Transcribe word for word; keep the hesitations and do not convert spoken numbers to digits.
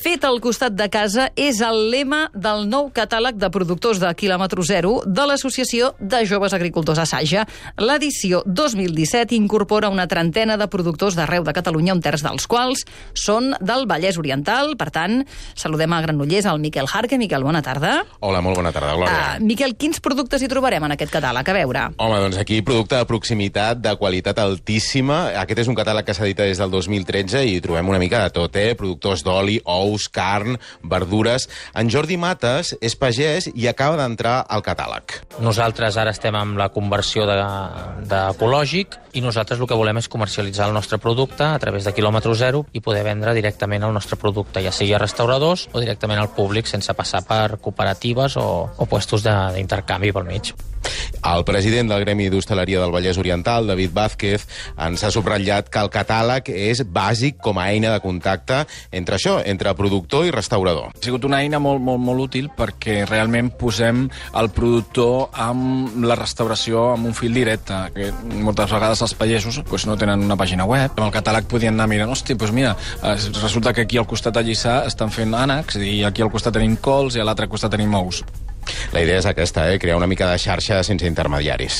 Fet al costat de casa és el lema del nou catàleg de productors de quilòmetre zero de l'Associació de Joves Agricultors a Saja. L'edició dos mil disset incorpora una trentena de productors d'arreu de Catalunya, un terç dels quals són del Vallès Oriental. Per tant, saludem a Granollers al Miquel Jarque. Miquel, bona tarda. Hola, molt bona tarda, Glòria. Uh, Miquel, quins productes hi trobarem en aquest catàleg? A veure. Home, doncs aquí producte de proximitat, de qualitat altíssima. Aquest és un catàleg que s'edita des del dos mil tretze i hi trobem una mica de tot, eh? Productors d'oli, ous, carn, verdures. En Jordi Mates és pagès i acaba d'entrar al catàleg. Nosaltres ara estem amb la conversió d'ecològic i nosaltres el que volem és comercialitzar el nostre producte a través de quilòmetre zero i poder vendre directament el nostre producte, ja sigui a restauradors o directament al públic, sense passar per cooperatives o, o puestos d'intercanvi pel mig. El president del Gremi d'Hostaleria del Vallès Oriental, David Vázquez, ens ha subratllat que el catàleg és bàsic com a eina de contacte entre això, entre productor i restaurador. Ha sigut una eina molt, molt, molt útil perquè realment posem el productor amb la restauració amb un fil directe, que moltes vegades els pagesos pues, no tenen una pàgina web. Amb el catàleg podien anar mirant, hòstia, doncs mira, resulta que aquí al costat a Lliçà estan fent ànecs i aquí al costat tenim cols i a l'altre costat tenim ous. La idea és aquesta, eh? Crear una mica de xarxa sense intermediaris.